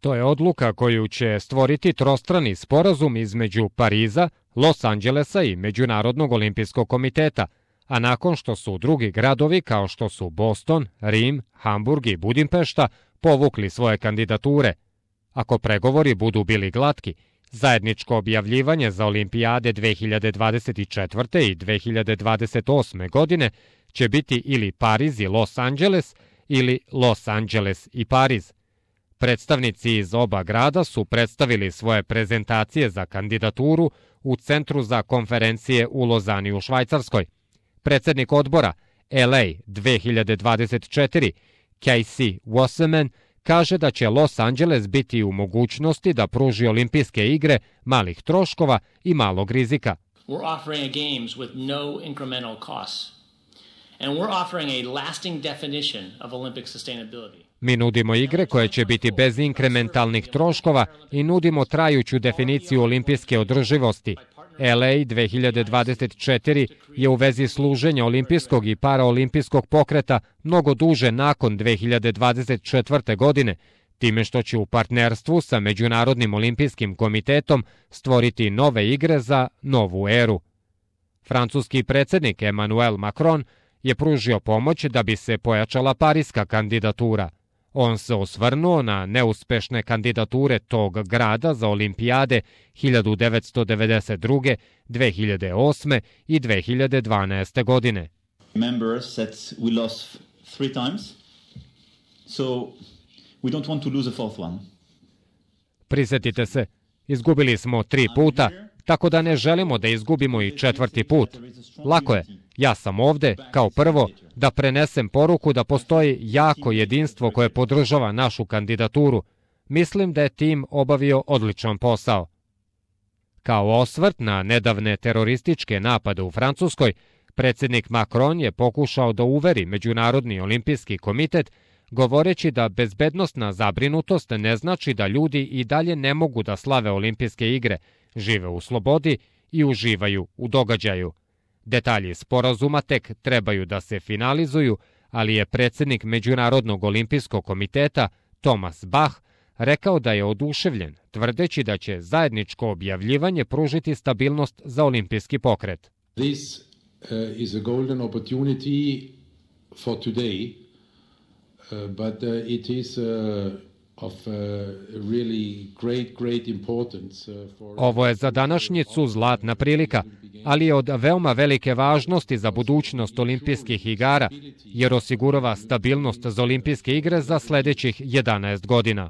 To je odluka koju će stvoriti trostrani sporazum između Pariza, Los Angelesa i Međunarodnog olimpijskog komiteta, a nakon što su drugi gradovi kao što su Boston, Rim, Hamburg i Budimpešta povukli svoje kandidature. Ako pregovori budu bili glatki, zajedničko objavljivanje za olimpijade 2024. i 2028. godine će biti ili Pariz i Los Angeles ili Los Angeles i Pariz. Predstavnici iz oba grada su predstavili svoje prezentacije za kandidaturu u Centru za konferencije u Lozani u Švajcarskoj. Predsednik odbora LA 2024, Casey Wasserman, kaže da će Los Angeles biti u mogućnosti da pruži olimpijske igre malih troškova i malog rizika. We're offering a games with no incremental costs. And we're offering a lasting definition of Olympic sustainability. Mi nudimo igre koje će biti bez inkrementalnih troškova i nudimo trajuću definiciju olimpijske održivosti. LA 2024 je u vezi služenja olimpijskog i paraolimpijskog pokreta mnogo duže nakon 2024. godine, time što će u partnerstvu sa Međunarodnim olimpijskim komitetom stvoriti nove igre za novu eru. Francuski predsednik Emmanuel Macron je pružio pomoć da bi se pojačala pariska kandidatura. On se osvrnuo na neuspešne kandidature tog grada za olimpijade 1992., 2008. i 2012. godine. Members said we lost 3 times, so we don't want to lose a fourth one. Prisetite se, izgubili smo 3 puta, tako da ne želimo da izgubimo i 4. put. Lako je, ja sam ovde, kao prvo, da prenesem poruku da postoji jako jedinstvo koje podržava našu kandidaturu. Mislim da je tim obavio odličan posao. Kao osvrt na nedavne terorističke napade u Francuskoj, predsednik Macron je pokušao da uveri Međunarodni olimpijski komitet, govoreći da bezbednosna zabrinutost ne znači da ljudi i dalje ne mogu da slave olimpijske igre, žive u slobodi i uživaju u događaju. Detalji sporazuma tek trebaju da se finalizuju, ali je predsednik Međunarodnog olimpijskog komiteta Thomas Bach rekao da je oduševljen, tvrdeći da će zajedničko objavljivanje pružiti stabilnost za olimpijski pokret. This is a golden opportunity for today, but it is of really great importance for... Ovo je za današnjicu zlatna prilika, ali je od veoma velike važnosti za budućnost olimpijskih igara, jer osigurava stabilnost za olimpijske igre za sledećih 11 godina.